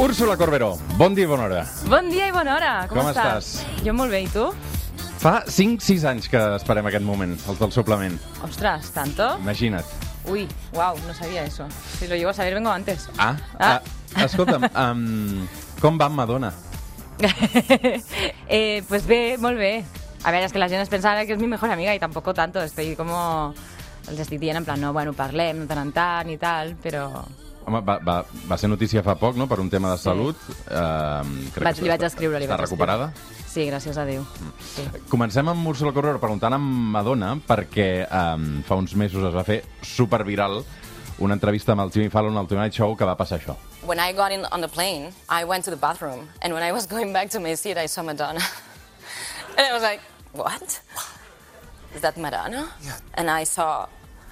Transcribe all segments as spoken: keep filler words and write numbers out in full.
Úrsula Corberó, bon dia i bona hora. Bon dia i bona hora, com, Com estàs? estàs? Jo molt bé, i tu? Fa cinc sis anys que esperem aquest moment, els del suplement. Ostres, ¿tanto? Imagina't. Uy, wow, no sabía eso. Si lo llego a saber, vengo antes. Ah, Ah. ah. escolta'm, um, com va amb Madonna? eh, pues bé, molt bé. A veure, és que la gent es pensava que és mi mejor amiga y tampoco tanto. Estoy como... Els estic dient en plan, no, bueno, parlem de tant en tant i tal, però... Home, va, va, va ser notícia fa poc, no?, per un tema de Sí. salut. Uh, crec Vaig, que li vaig està- escriure, li Està vaig recuperada? Sí, gràcies a Déu. Sí. Comencem amb Úrsula Corberó preguntant a Madonna perquè um, fa uns mesos es va fer superviral una entrevista amb el Jimmy Fallon al Tonight Show que va passar això. When I got in on the plane, I went to the bathroom, and when I was going back to my seat, I saw Madonna. And I was like, what? Is that Madonna? Yeah. And I saw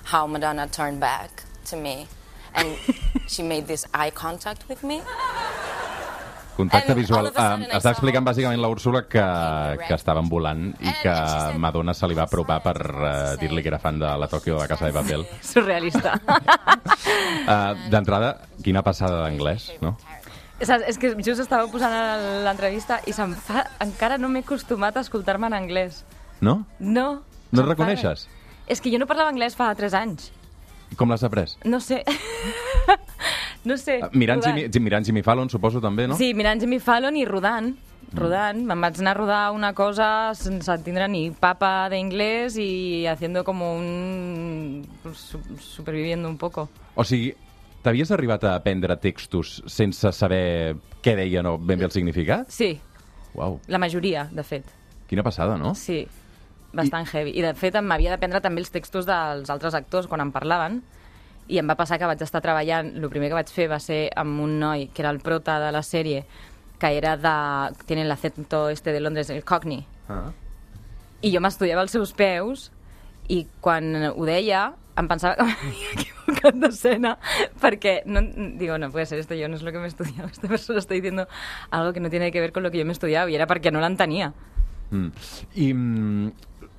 how Madonna turned back to me, and she made this eye contact with me. Contacte And visual. all of a sudden Uh, I està saw- explicant bàsicament la Úrsula que, que estaven volant i And- que and she said- Madonna se li va apropar per uh, dir-li que era fan de la Tòquio de la Casa de Papel. Surrealista. Uh, D'entrada, quina passada d'anglès, no? Saps? És que just estava posant l'entrevista i se'm fa... encara no m'he acostumat a escoltar-me en anglès. No? No. No et se'm fa- reconeixes? És que jo no parlava anglès fa tres anys. Com l'has après? No sé. no sé. Uh, Mirant rodant. Jimmy, mirant Jimmy Fallon, suposo, també, no? Sí, mirant Jimmy Fallon i rodant. Rodant. Me'n vaig anar a rodar una cosa sense entendre ni papa d'inglès i haciendo como un... su- superviviendo un poco. O sigui, t'havies arribat a aprendre textos sense saber què deien o ben bé el significat? Sí, Uau, la majoria, de fet. quina passada, no? Sí, bastant I... heavy. I de fet m'havia d'aprendre també els textos dels altres actors quan em parlaven i em va passar que vaig estar treballant, el primer que vaig fer va ser amb un noi que era el prota de la sèrie, que era de... tiene el acento este de Londres, el Cockney. Ah. I jo m'estudiava als seus peus i quan ho deia em pensava que m'havia equivocat d'escena perquè no, digo, no puede ser esto, yo no es lo que me he estudiado, esta persona está diciendo algo que no tiene que ver con lo que yo me he estudiado y era perquè no l'entenia. Mm. I, mm,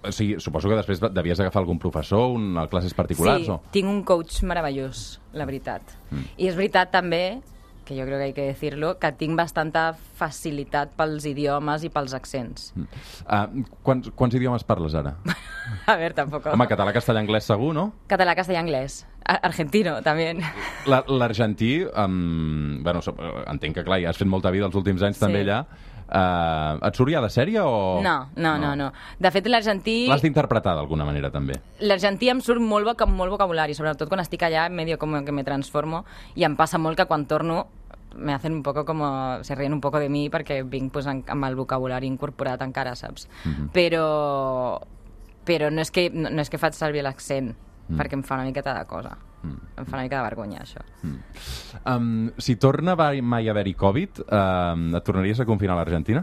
o sigui, suposo que després devies agafar algun professor, una classes particulars, Sí, o...? tinc un coach meravellós, la veritat. Mm. I és veritat també, que jo crec que hay que decirlo, que tinc bastanta facilitat pels idiomes i pels accents. Mm. Uh, quants, quants idiomes parles ara? A ver, tampoc. Home, català, castellà, anglès segur, no? Català, castellà, anglès. A- Argentino, també. La- L'argentí, um, bueno, so- entenc que, clar, ja has fet molta vida els últims anys Sí. també allà. Uh, et surt ja de sèrie o...? No, no, no, no. De fet, l'argentí... L'has d'interpretar d'alguna manera, també. L'argentí em surt molt, voc molt vocabulari, sobretot quan estic allà, medio como que me transformo, i em passa molt que quan torno me hacen un poco como... se ríen un poco de mi perquè vinc pues, en, amb el vocabulari incorporat encara, saps? Mhm. Però... però no és que, no, no és que faig servir l'accent, Mm. perquè em fa una miqueta de cosa. Mm. Em fa una mica de vergonya, això. Um, si torna va- mai a haver-hi Covid, um, et tornaries a confinar a l'Argentina?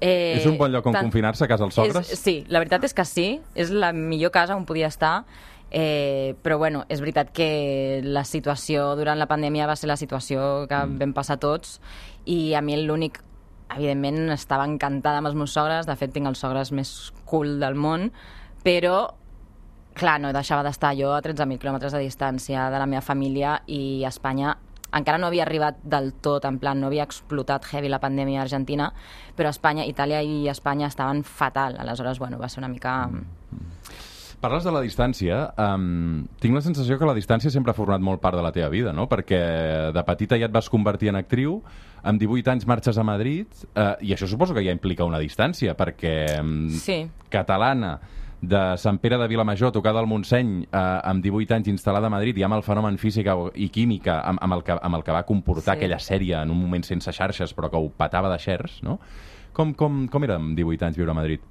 Eh, És un bon lloc on tant- confinar-se, a casa dels sogres? És, sí, la veritat és que sí. És la millor casa on podia estar. Eh, però bueno, és veritat que la situació durant la pandèmia va ser la situació que mm. vam passar tots i a mi l'únic, evidentment, estava encantada amb els meus sogres. De fet, tinc els sogres més cool del món, però clar, no deixava d'estar jo a tretze mil quilòmetres de distància de la meva família i Espanya encara no havia arribat del tot, en plan, no havia explotat heavy la pandèmia a Argentina, però Espanya, Itàlia i Espanya estaven fatal. Aleshores, bueno, va ser una mica... Parles de la distància. Um, tinc la sensació que la distància sempre ha format molt part de la teva vida, no? Perquè de petita ja et vas convertir en actriu, amb divuit anys marxes a Madrid, uh, i això suposo que ja implica una distància, perquè um, Sí. catalana, de Sant Pere de Vilamajor, tocada al Montseny, eh, amb divuit anys instal·lada a Madrid, i amb el fenomen física i química, amb, amb, el, que, amb el que va comportar Sí. aquella sèrie en un moment sense xarxes, però que ho petava de shares, no? Com, com, com era amb divuit anys viure a Madrid?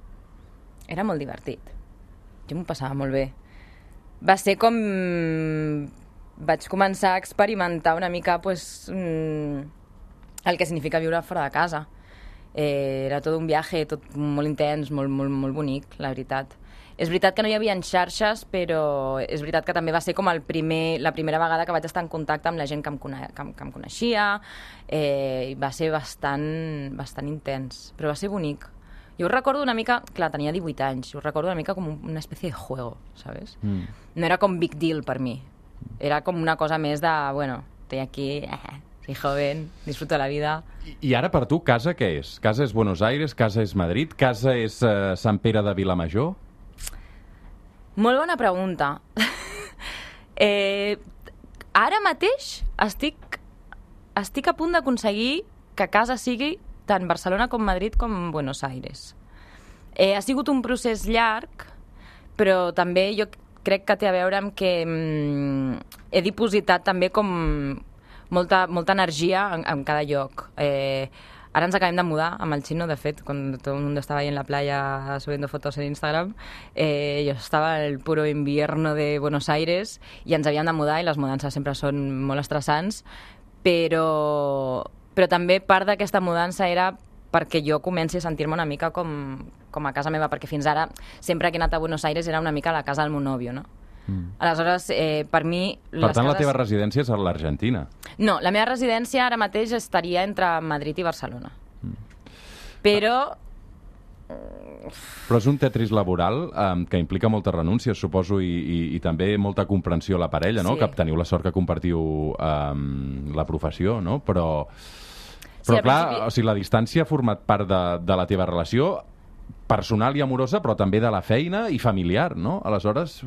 Era molt divertit. Jo m'ho passava molt bé. Va ser com... Vaig començar a experimentar una mica pues, mm, el que significa viure fora de casa. Eh, era tot un viatge, tot molt intens, molt, molt, molt bonic, la veritat. És veritat que no hi havia xarxes, però és veritat que també va ser com el primer, la primera vegada que vaig estar en contacte amb la gent que em, cone que em, que em coneixia. Eh, i va ser bastant, bastant intens, però va ser bonic. Jo ho recordo una mica... Clar, tenia divuit anys. Jo ho recordo una mica com una espècie de juego, ¿sabes? Mm. No era com big deal per mi. Era com una cosa més de, bueno, estoy aquí... soy joven, disfruto de la vida. I, I ara per tu, casa què és? Casa és Buenos Aires, casa és Madrid, casa és uh, Sant Pere de Vilamajor? Molt bona pregunta. eh, ara mateix estic, estic a punt d'aconseguir que casa sigui tant Barcelona com Madrid com Buenos Aires. Eh, ha sigut un procés llarg, però també jo crec que té a veure amb que mm, he dipositat també com molta, molta energia en, en cada lloc. Eh, ara ens acabem de mudar amb el Chino, de fet, quan tot el mundo estava ahí en la playa subiendo fotos en Instagram, eh, jo estava en el puro invierno de Buenos Aires i ens havíem de mudar i les mudances sempre són molt estressants, però, però també part d'aquesta mudança era perquè jo comenci a sentir-me una mica com, com a casa meva, perquè fins ara, sempre que he anat a Buenos Aires era una mica la casa del meu nòvio, no? Mm. Aleshores, eh, per mi... Per les tant, cases... la teva residència és a l'Argentina. No, la meva residència ara mateix estaria entre Madrid i Barcelona. Mm. Però... Però és un tetris laboral eh, que implica moltes renúncies, suposo, i, i, i també molta comprensió a la parella, no? Sí. Que teniu la sort que compartiu eh, la professió, no? Però... Sí, Però, clar, principi... o sigui, la distància ha format part de, de la teva relació personal i amorosa, però també de la feina i familiar, no? Aleshores...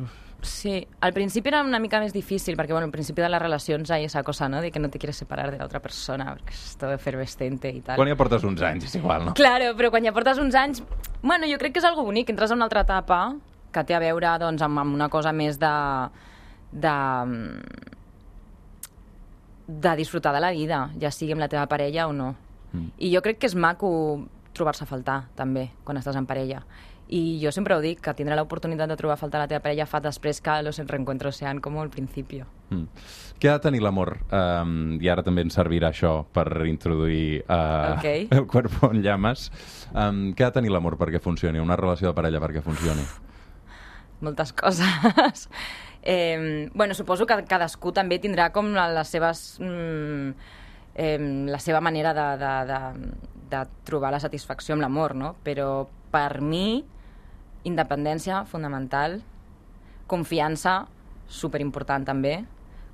Sí, al principi era una mica més difícil, perquè bueno, al principi de les relacions hay esa cosa, ¿no?, de que no te quieres separar de la otra persona, perquè és todo efervescente i tal. Quan ja portes uns anys, és igual, no? Claro, però quan ja portes uns anys... Bueno, jo crec que és algo bonic, entres a una altra etapa que té a veure, doncs, amb, amb una cosa més de... de de disfrutar de la vida, ja sigui amb la teva parella o no. Mm. I jo crec que és maco trobar-se a faltar, també, quan estàs en parella. I jo sempre ho dic, que tindrà l'oportunitat de trobar a faltar la teva parella fa després que los reencuentros sean como al principio. Mm. Què ha de tenir l'amor? Um, I ara també ens servirà això per introduir uh, okay. el cuerpo en llames. Um, què ha de tenir l'amor perquè funcioni? Una relació de parella perquè funcioni? Moltes coses. Eh, bueno, suposo que cadascú també tindrà com les seves... Mm, eh, la seva manera de, de, de, de trobar la satisfacció amb l'amor, no? Però per mi, independència, fonamental, confiança, superimportant també,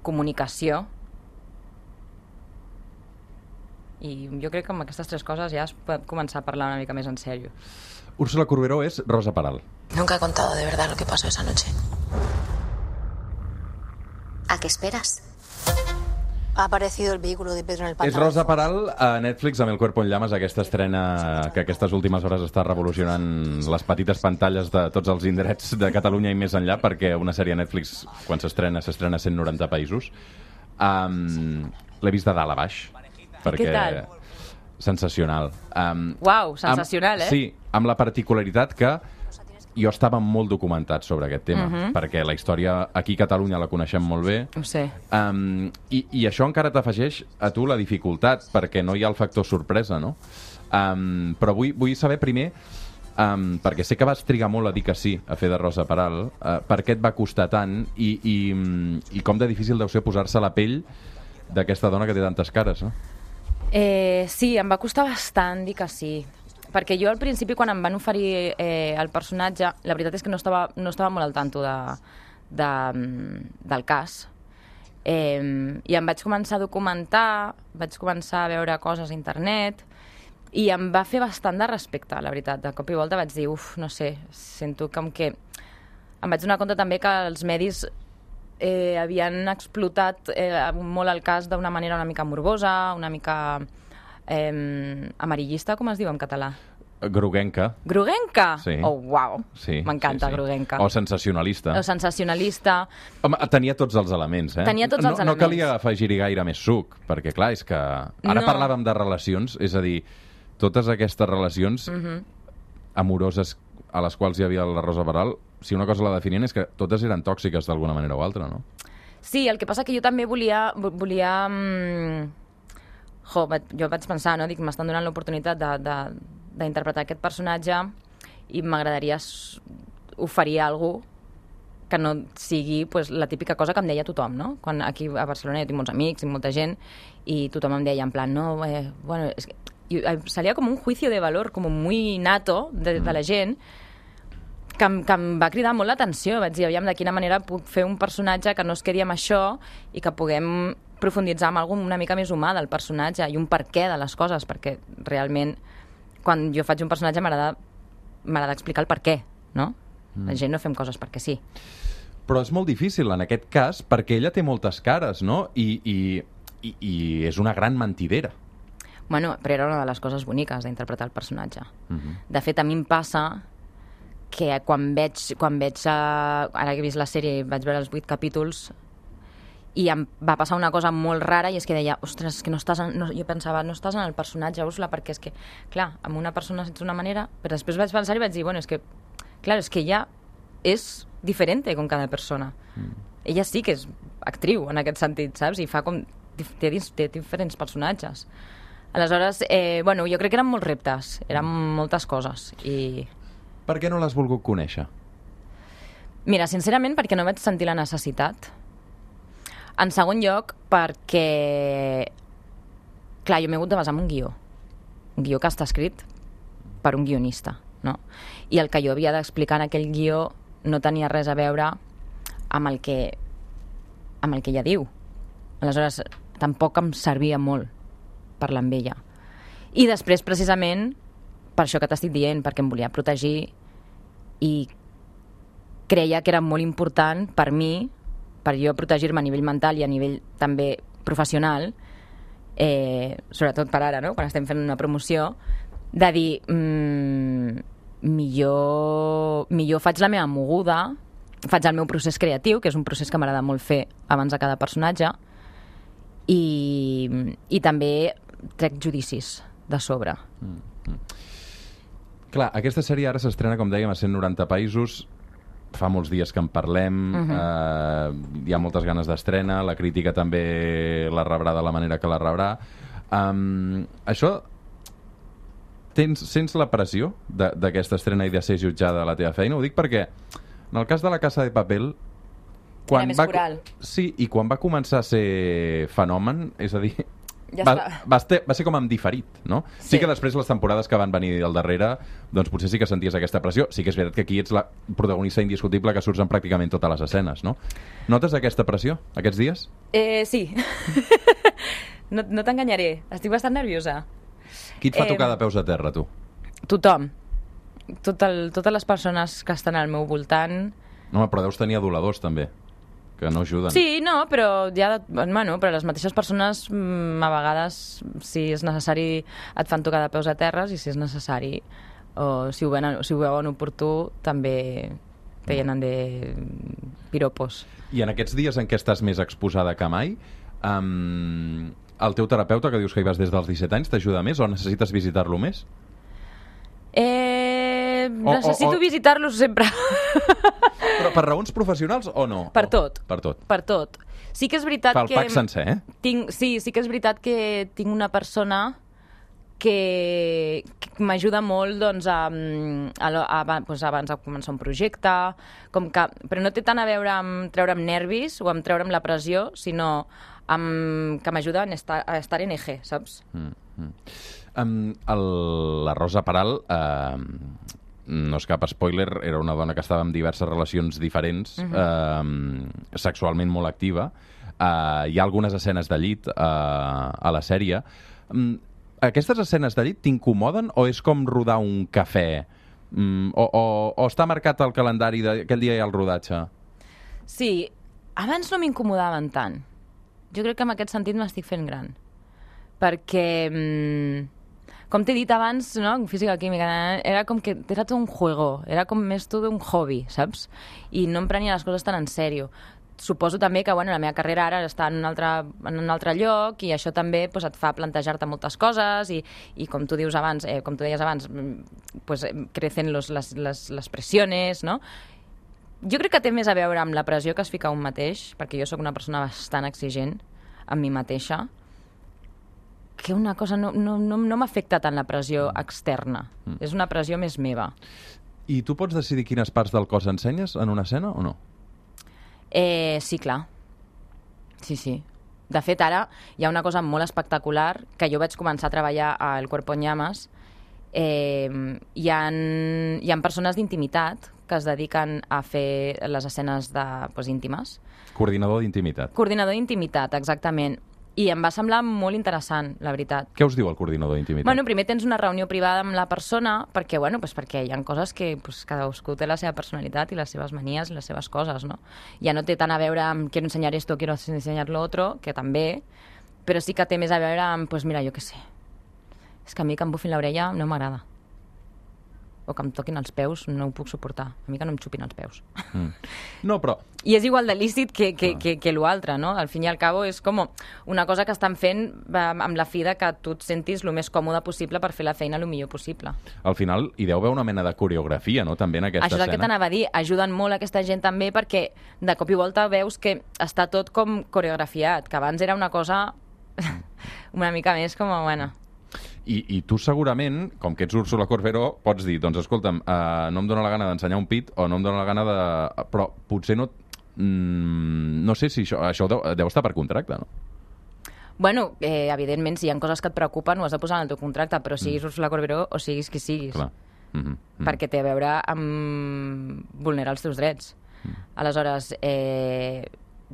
comunicació, i jo crec que amb aquestes tres coses ja es pot començar a parlar una mica més en sèrio. Úrsula Corberó és Rosa Peral. Nunca he contado de verdad lo que pasó esa noche. ¿A qué esperas? Ha aparecido el vehículo de Pedro en el pantano. És Rosa Peral a Netflix amb El cuerpo en llamas, aquesta estrena que aquestes últimes hores està revolucionant les petites pantalles de tots els indrets de Catalunya i més enllà, perquè una sèrie a Netflix, quan s'estrena, s'estrena a cent noranta països. Um, L'he vist de dalt a baix. Perquè... Què tal? Sensacional. Um, Uau, sensacional, amb, eh? Sí, amb la particularitat que jo estava molt documentat sobre aquest tema, uh -huh. perquè la història aquí a Catalunya la coneixem molt bé. Ho sé. Um, i, I això encara t'afegeix a tu la dificultat, perquè no hi ha el factor sorpresa, no? Um, però vull, vull saber primer, um, perquè sé que vas trigar molt a dir que sí a fer de Rosa Peral, uh, per què et va costar tant i, i, i com de difícil deu ser posar-se a la pell d'aquesta dona que té tantes cares, no? Eh, sí, em va costar bastant dir que sí. Perquè jo al principi, quan em van oferir eh, el personatge, la veritat és que no estava, no estava molt al tanto de, de, del cas. Eh, I em vaig començar a documentar, vaig començar a veure coses a internet, i em va fer bastant de respecte, la veritat. De cop i volta vaig dir, uf, no sé, sento com que... Em vaig donar compte també que els medis eh, havien explotat eh, molt el cas d'una manera una mica morbosa, una mica... Eh, amarillista, com es diu en català? Groguenca. Groguenca? Sí. Oh, uau. Sí, m'encanta, sí, sí. groguenca. O sensacionalista. O sensacionalista. Home, tenia tots els elements, eh? Tenia tots els no, elements. No calia afegir-hi gaire més suc, perquè, clar, és que... Ara No. parlàvem de relacions, és a dir, totes aquestes relacions Mhm. amoroses a les quals hi havia la Rosa Peral, si una cosa la definien és que totes eren tòxiques d'alguna manera o altra, no? Sí, el que passa que jo també volia... volia mm, jo, vaig, jo vaig pensar, no? Dic, m'estan donant l'oportunitat de, de, d'interpretar aquest personatge i m'agradaria s- oferir alguna que no sigui pues, la típica cosa que em deia tothom, no? Quan aquí a Barcelona jo tinc molts amics i molta gent i tothom em deia en plan, no, eh, bueno, es que... Y salía como un juicio de valor como muy nato de, de la gent que, em, que em va cridar molt l'atenció. Vaig dir, aviam, de quina manera puc fer un personatge que no es quedi amb això i que puguem profunditzar en alguna una mica més humà del personatge i un per què de les coses, perquè realment quan jo faig un personatge m'agrada m'agrada explicar el per què, no? Mm. La gent no fem coses perquè sí. Però és molt difícil en aquest cas perquè ella té moltes cares, no? I, i, i, i és una gran mentidera. Bueno, però era una de les coses boniques d'interpretar el personatge. Mm-hmm. De fet, a mi em passa que quan veig, quan veig uh, ara que he vist la sèrie, vaig veure els vuit capítols i em va passar una cosa molt rara i és que deia, ostres, que no estàs en, no, jo pensava, no estàs en el personatge, Úrsula, perquè és que, clar, amb una persona ets d'una manera, però després vaig pensar i vaig dir, bueno, és que, clar, és que ella és diferent com cada persona. Mm. Ella sí que és actriu en aquest sentit, saps? I fa com, té, té diferents personatges. Aleshores, eh, bueno, jo crec que eren molts reptes, eren moltes coses i... Per què no l'has volgut conèixer? Mira, sincerament, perquè no vaig sentir la necessitat. En segon lloc, perquè... Clar, jo m'he hagut de basar en un guió. Un guió que està escrit per un guionista, no? I el que jo havia d'explicar en aquell guió no tenia res a veure amb el que, amb el que ella diu. Aleshores, tampoc em servia molt parlar amb ella. I després, precisament, per això que t'estic dient, perquè em volia protegir i creia que era molt important per mi, per jo protegir-me a nivell mental i a nivell també professional, eh, sobretot per ara, no? Quan estem fent una promoció, de dir mmm, millor, millor faig la meva moguda, faig el meu procés creatiu, que és un procés que m'agrada molt fer abans de cada personatge, i, i també trec judicis de sobre. Mm-hmm. Clar, aquesta sèrie ara s'estrena, com dèiem, a cent noranta països. Fa molts dies que en parlem, uh-huh. eh, hi ha moltes ganes d'estrena, la crítica també la rebrà de la manera que la rebrà. Um, això, tens, sents la pressió d'aquesta estrena i de ser jutjada a la teva feina? Ho dic perquè, en el cas de La Casa de Papel, quan era més va, coral. Sí, i quan va començar a ser fenomen, és a dir... Ja va, va, ser, va ser com amb diferit, no? Sí. Sí que després les temporades que van venir al darrere, doncs potser sí que senties aquesta pressió. Sí que és veritat que aquí ets la protagonista indiscutible que surts en pràcticament totes les escenes, no? Notes aquesta pressió, aquests dies? Eh, sí. no no t'enganyaré, estic bastant nerviosa. Qui et fa eh, tocar de peus a terra, tu? Tothom. Tot el, totes les persones que estan al meu voltant... No, però deus tenir aduladors, també, que no ajuden. Sí, no, però ja, bueno, però les mateixes persones a vegades, si és necessari, et fan tocar de peus a terres, i si és necessari, o si ho veuen, si ho veuen oportú, també te llenen de piropos. I en aquests dies en què estàs més exposada que mai, um, el teu terapeuta, que dius que hi vas des dels disset anys, t'ajuda més o necessites visitar-lo més? Eh, o, necessito o, o... visitar-los sempre. Però per raons professionals o no? Per o, tot. Per tot. Per tot. Sí que és veritat Fa el que... pack sencer, eh? Tinc, sí, sí que és veritat que tinc una persona que, que m'ajuda molt, doncs, a, a, a, a, doncs, abans de començar un projecte, com que, però no té tant a veure amb treure'm nervis o amb treure'm la pressió, sinó amb, que m'ajuda a estar, a estar en eje, saps? Mm, mm. Um, el, la Rosa Peral, uh, no és cap spoiler, era una dona que estava en diverses relacions diferents, uh-huh. uh, sexualment molt activa. Uh, hi ha algunes escenes de llit uh, a la sèrie. Um, aquestes escenes de llit t'incomoden o és com rodar un cafè? Um, o, o, o està marcat el calendari d'aquell dia i el rodatge? Sí, abans no m'incomodaven tant. Jo crec que en aquest sentit m'estic fent gran. Perquè... Um, com t'he dit abans, no? En física química, era com que era tot un juego, era com més tot un hobby, saps? I no em prenia les coses tan en sèrio. Suposo també que, bueno, la meva carrera ara està en un altre, en un altre lloc i això també pues, et fa plantejar-te moltes coses i, i com tu dius abans, eh, com tu deies abans, pues, crecen los, les, les, les pressiones, no? Jo crec que té més a veure amb la pressió que es fica un mateix, perquè jo sóc una persona bastant exigent amb mi mateixa, que una cosa no, no, no, no m'afecta tant la pressió externa. Mm. És una pressió més meva. I tu pots decidir quines parts del cos ensenyes en una escena o no? Eh, sí, clar. Sí, sí. De fet, ara hi ha una cosa molt espectacular que jo vaig començar a treballar al Cuerpo en Llamas. Eh, hi ha, hi ha persones d'intimitat que es dediquen a fer les escenes de, pues, íntimes. Coordinador d'intimitat. Coordinador d'intimitat, exactament. I em va semblar molt interessant, la veritat. Què us diu el coordinador d'intimitat? Bueno, primer tens una reunió privada amb la persona perquè, bueno, pues perquè hi ha coses que pues, cadascú té la seva personalitat i les seves manies i les seves coses, no? Ja no té tant a veure amb quiero ensenyar esto, quiero ensenyar lo otro, que també, però sí que té més a veure amb, pues mira, jo què sé, és que a mi que em bufin l'orella no m'agrada. O que em toquin els peus, no ho puc suportar. A mi que no em xupin els peus. Mm. No, però... I és igual de lícit que, que, ah. que, que l'altre, no? Al fin i al cabo és com una cosa que estan fent amb la fi de que tu et sentis el més còmode possible per fer la feina el millor possible. Al final hi deu haver una mena de coreografia, no?, també en aquesta Això és escena. el que t'anava a dir. Ajuden molt aquesta gent també perquè de cop i volta veus que està tot com coreografiat, que abans era una cosa una mica més com a, bueno... I, I tu segurament, com que ets Úrsula Corberó, pots dir, doncs escolta'm, uh, no em dóna la gana d'ensenyar un pit o no em dóna la gana de... Però potser no... Mm, no sé si això, això deu, deu estar per contracte, no? Bueno, eh, evidentment, si hi ha coses que et preocupen, ho has de posar en el teu contracte, però siguis mm. Úrsula Corberó o siguis qui siguis. Clar. Mm -hmm. Mm. Perquè té a veure amb vulnerar els teus drets. Mm. Aleshores, eh,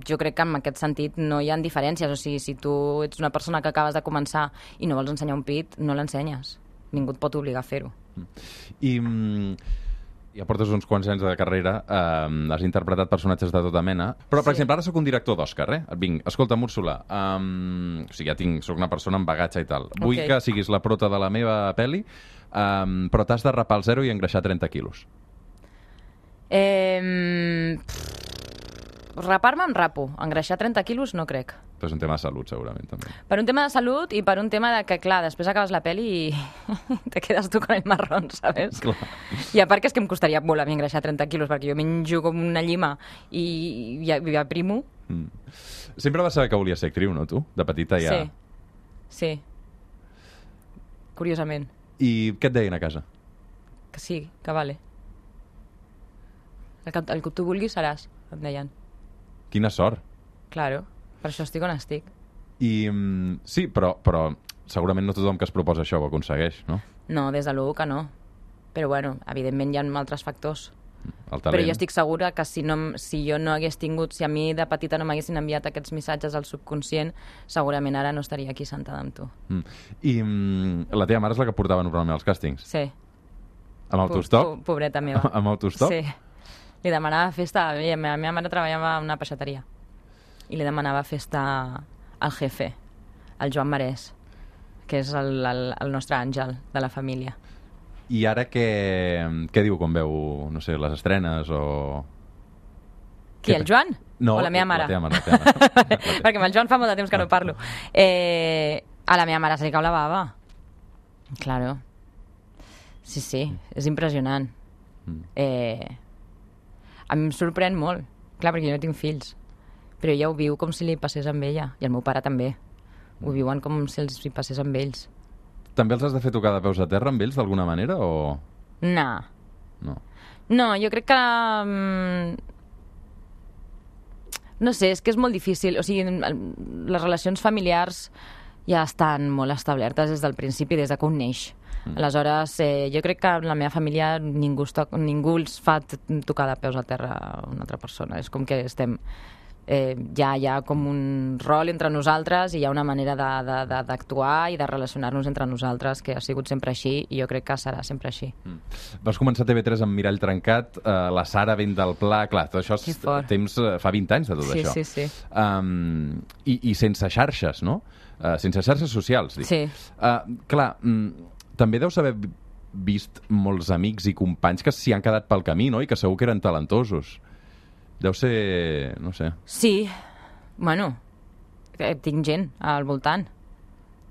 jo crec que en aquest sentit no hi ha diferències. O sigui, si tu ets una persona que acabes de començar i no vols ensenyar un pit, no l'ensenyes. Ningú et pot obligar a fer-ho. I mm, ja portes uns quants anys de carrera, eh, has interpretat personatges de tota mena, però, per sí. exemple, ara sóc un director d'Òscar, eh? Et vinc, escolta, Úrsula, um, o sigui, ja tinc, sóc una persona amb bagatge i tal. Vull okay. que siguis la prota de la meva pel·li, um, però t'has de rapar al zero i engreixar trenta quilos. Eh... Rapar-me em rapo. Engreixar trenta quilos no crec. Però és un tema de salut, segurament, també. Per un tema de salut i per un tema de que, clar, després acabes la pel·li i te quedes tu con el marrón, ¿sabes? Clar. I a part que és que em costaria molt a mi engreixar trenta quilos, perquè jo menjo com una llima i, i, i aprimo. Mm. Sempre vas saber que volies ser actriu, no, tu? De petita ja... Sí. Sí. Curiosament. I què et deien a casa? Que sí, que vale. El que, el que tu vulguis seràs, em deien. Quina sort. Claro, per això estic on estic. I mm, sí, però, però segurament no tothom que es proposa això ho aconsegueix, no? No, des de l'u que no. Però bueno, evidentment hi ha altres factors. El talent. Però jo estic segura que si, no, si jo no hagués tingut, si a mi de petita no m'haguessin enviat aquests missatges al subconscient, segurament ara no estaria aquí sentada amb tu. Mm. I mm, la teva mare és la que portava normalment els càstings? Sí. Amb autostop? Po pobreta meva. Amb autostop? Sí. Li demanava festa... La meva mare treballava en una peixateria i li demanava festa al jefe, al Joan Marès, que és el, el, el nostre àngel de la família. I ara què, què diu quan veu, no sé, les estrenes o... Qui, el Joan? No, o la meva mare? La teva mare. La teva mare. La teva. Perquè amb el Joan fa molt de temps que no parlo. Eh, a la meva mare se li cau la bava. Claro. Sí, sí, és impressionant. Mm. Eh... A mi em sorprèn molt. Clar, perquè jo no tinc fills. Però ella ho viu com si li passés amb ella. I el meu pare també. Ho viuen com si els hi passés amb ells. També els has de fer tocar de peus a terra amb ells, d'alguna manera, o...? No. No. No, jo crec que... Um... No sé, és que és molt difícil. O sigui, les relacions familiars ja estan molt establertes des del principi, des de que un neix. Mm. Aleshores, eh, jo crec que en la meva família ningú, toc, ningú els fa tocar de peus a terra a una altra persona. És com que estem... Eh, ja hi ha com un rol entre nosaltres i hi ha una manera d'actuar i de relacionar-nos entre nosaltres que ha sigut sempre així i jo crec que serà sempre així. Mm. Vas començar a T V tres amb Mirall Trencat, eh, la Sara vent del Pla, clar, tot això és temps, fa vint anys de tot sí, això. Sí, sí, sí. Um, i, I sense xarxes, no? Uh, sense xarxes socials, dic. Sí. Uh, clar, mm, també deus haver vist molts amics i companys que s'hi han quedat pel camí, no? I que segur que eren talentosos. Deu ser... no sé... Sí. Bueno, tinc gent al voltant.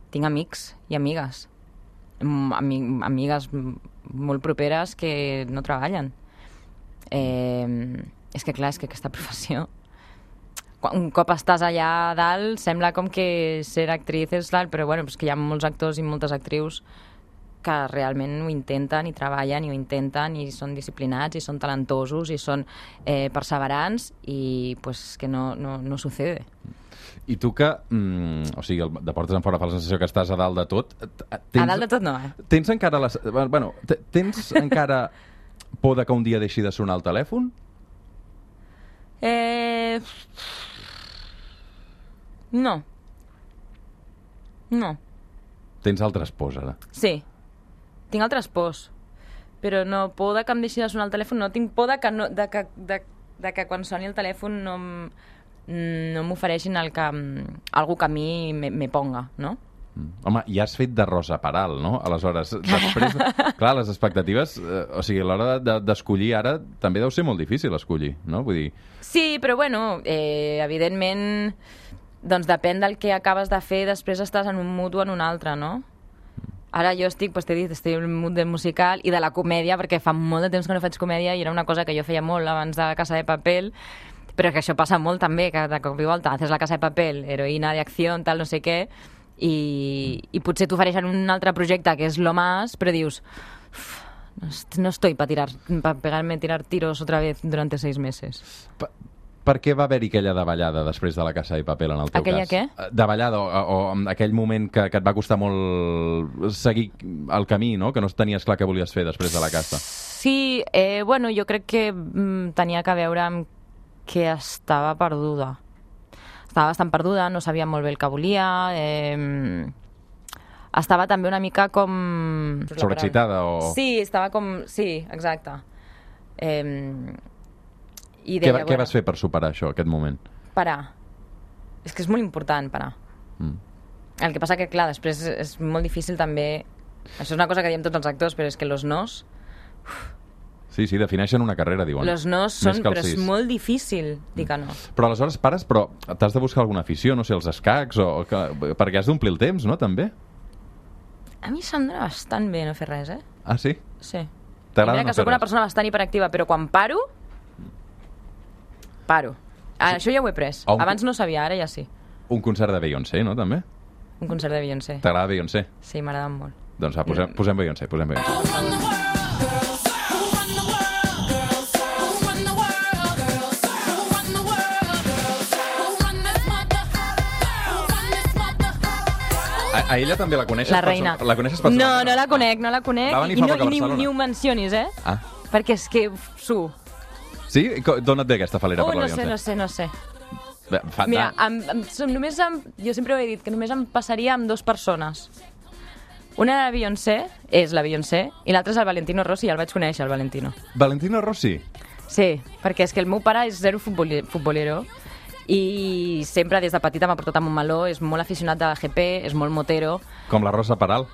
Tinc amics i amigues. Ami amigues molt properes que no treballen. Eh, és que, clar, és que aquesta professió... Un cop estàs allà a dalt, sembla com que ser actriz és l'alt, però bueno, és que hi ha molts actors i moltes actrius que realment ho intenten i treballen i ho intenten i són disciplinats i són talentosos i són eh, perseverants i pues que no, no, no sucede. I tu que, mm, o sigui, el de portes en fora fa la sensació que estàs a dalt de tot... Tens, a dalt de tot no, eh? Tens encara... Les, bueno, tens encara por de que un dia deixi de sonar el telèfon? Eh... No. No. Tens altres pors, ara. Sí. Tinc altres pors. Però no, por de que em deixi de sonar el telèfon, no. Tinc por de que, no, de que, de, de que quan soni el telèfon no, no m'ofereixin el que, algú que a mi me, me ponga, no? Home, ja has fet de Rosa Peral, no? Aleshores, després... Clar, les expectatives... Eh, o sigui, a l'hora d'escollir de, ara també deu ser molt difícil escollir, no? Vull dir... Sí, però bueno, eh, evidentment, doncs depèn del que acabes de fer, després estàs en un mood o en un altre, no? Ara jo estic, doncs t'he dit, estic en un mood de musical i de la comèdia, perquè fa molt de temps que no faig comèdia i era una cosa que jo feia molt abans de la Casa de Papel, però que això passa molt també, que de cop i volta haces la Casa de Papel, heroïna d'acció, tal, no sé què, i, i potser t'ofereixen un altre projecte que és Lo Más, però dius no, no estoy para tirar para pegarme tirar tiros otra vez durante seis meses. Pa Per què va haver-hi aquella davallada després de la Casa de Papel en el teu aquella cas? Aquella què? Davallada, o, o aquell moment que, que et va costar molt seguir el camí, no? Que no tenies clar què volies fer després de la Casa. Sí, eh, bueno, jo crec que mm, tenia que veure amb que estava perduda. Estava bastant perduda, no sabia molt bé el que volia, eh, estava també una mica com... Sobreexcitada o... Sí, estava com... Sí, exacte. Eh, i deia, què, bueno, què vas fer per superar això, aquest moment? Parar. És que és molt important parar. Mm. El que passa que, clar, després és molt difícil també... Això és una cosa que diem tots els actors, però és que los nos... Uf. Sí, sí, defineixen una carrera, diuen. Los nos són, però és molt difícil dir que no. Però aleshores pares, però t'has de buscar alguna afició, no sé, els escacs, o que, perquè has d'omplir el temps, no, també? A mi se'm dona bastant bé no fer res, eh? Ah, sí? Sí. T'agrada mira no que sóc fer una persona bastant hiperactiva, però quan paro, paro. Ah, sí. Això ja ho he pres. Un... Abans no sabia, ara ja sí. Un concert de Beyoncé, no, també? Un concert de Beyoncé. T'agrada Beyoncé? Sí, m'agrada molt. Doncs va, posem, posem Beyoncé, posem Beyoncé. A ella també la coneixes? La reina. La coneixes personalment? No, no la conec, no la conec. Va venir I, fa no, poc a i ni, Barcelona. ni ho mencionis, eh? Ah. Perquè és que su. Sí? D'on et ve aquesta falera oh, per la no sé, Beyoncé? no sé, no sé. Bé, fa, Mira, amb, amb, només amb, jo sempre ho he dit, que només em passaria amb dues persones. Una era la Beyoncé, és la Beyoncé, i l'altra és el Valentino Rossi, ja el vaig conèixer, el Valentino. Valentino Rossi? Sí, perquè és que el meu pare és zero futbolero, i sempre des de petita m'ha portat a Montmeló, és molt aficionat de la G P, és molt motero. Com la Rosa Peral.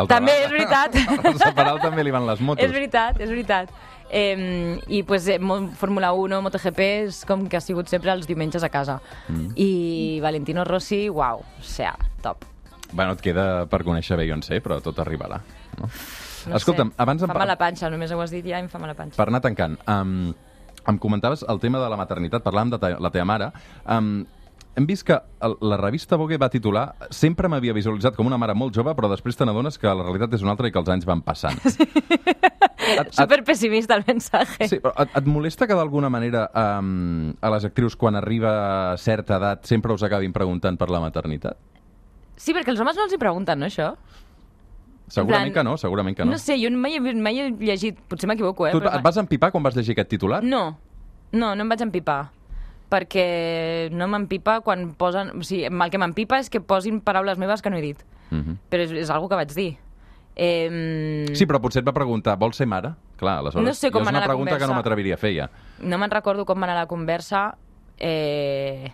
També, és veritat. A la Rosa Peral també li van les motos. És veritat, és veritat. Eh, I pues, eh, Fórmula uno, MotoGP, és com que ha sigut sempre els diumenges a casa. Mm. I Valentino Rossi, uau, o sea, top. Bueno, et queda per conèixer Beyoncé, però tot arribarà. No? No Escolta'm, sé, abans... fa mala panxa, només ho has dit ja, em fa mala panxa. Per anar tancant, um, em comentaves el tema de la maternitat, parlàvem de ta la teva mare. Um, hem vist que el, la revista Vogue va titular sempre m'havia visualitzat com una mare molt jove, però després te n'adones que la realitat és una altra i que els anys van passant. Sí. Et, Super pessimista el mensatge. Sí, però et, et molesta que d'alguna manera um, a les actrius quan arriba a certa edat sempre us acabin preguntant per la maternitat? Sí, perquè els homes no els hi pregunten, no, això? Segurament plan, que no, segurament que no. No sé, jo mai, mai he llegit, potser m'equivoco, eh? Tu però et vas empipar quan vas llegir aquest titular? No, no, no em vaig empipar. Perquè no m'empipa quan posen... O sigui, el que m'empipa és que posin paraules meves que no he dit. Uh -huh. Però és, és algo que vaig dir. Eh... Sí, però potser et va preguntar, vols ser mare? Clar, aleshores, no sé com és una anar pregunta que no m'atreviria a fer ja. No me'n recordo com va anar la conversa, eh...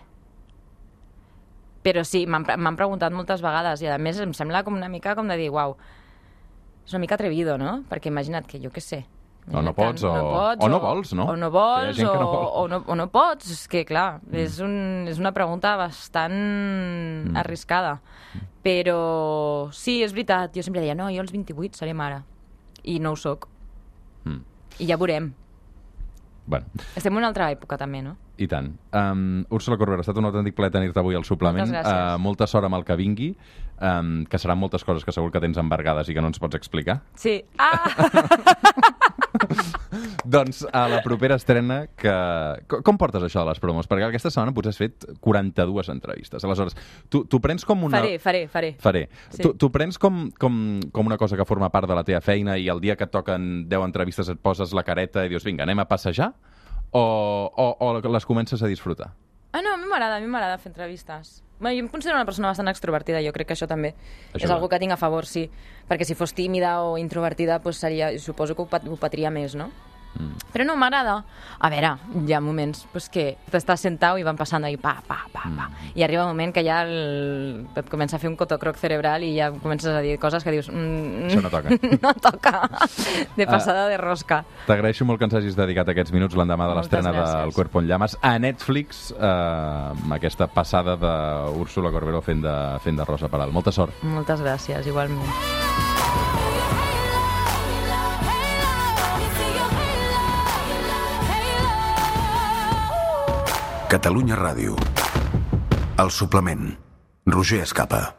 però sí, m'han preguntat moltes vegades i a més em sembla com una mica com de dir, uau, és una mica atrevido, no? Perquè imagina't que jo què sé. O no pots, o, no pots, o no vols, no? O no vols, o, no no vol. o, no, o no pots. És que, clar, mm. és, un, és una pregunta bastant mm. arriscada. Però sí, és veritat, jo sempre deia, no, jo als vint-i-vuit seré mare. I no ho soc. Mm. I ja veurem. Bueno. Estem en una altra època, també, no? I tant. Um, Úrsula Corbera, ha estat un autèntic plaer tenir-te avui al suplement. Moltes gràcies. Uh, molta sort amb el que vingui, um, que seran moltes coses que segur que tens embargades i que no ens pots explicar. Sí. Ah! Doncs a la propera estrena que... Com portes això de les promos? Perquè aquesta setmana potser has fet quaranta-dues entrevistes. Aleshores, tu, tu prens com una... Faré, faré, faré. Faré. Sí. Tu, tu prens com, com, com una cosa que forma part de la teva feina i el dia que et toquen deu entrevistes et poses la careta i dius, vinga, anem a passejar? O, o, o les comences a disfrutar? Ah, no, a mi m'agrada, a mi m'agrada fer entrevistes. Bueno, jo em considero una persona bastant extrovertida, jo crec que això també Això és va. algo que tinc a favor, sí. Perquè si fos tímida o introvertida, doncs seria, suposo que ho, pat, ho patria més, no? Mm. Però no, m'agrada. A veure, hi ha moments pues, que t'estàs sentat i van passant ahí, pa, pa, pa, pa. Mm. I arriba un moment que ja el... et comença a fer un cotocroc cerebral i ja comences a dir coses que dius... Mm, Això no toca. no toca. De passada uh, de rosca. T'agraeixo molt que ens hagis dedicat aquests minuts l'endemà de l'estrena Moltes gràcies. del Cuerpo en Llamas a Netflix, eh, amb aquesta passada d'Úrsula Corberó fent de, fent de Rosa Peral. Molta sort. Moltes gràcies, igualment. Catalunya Ràdio. El suplement. Roger Escapa.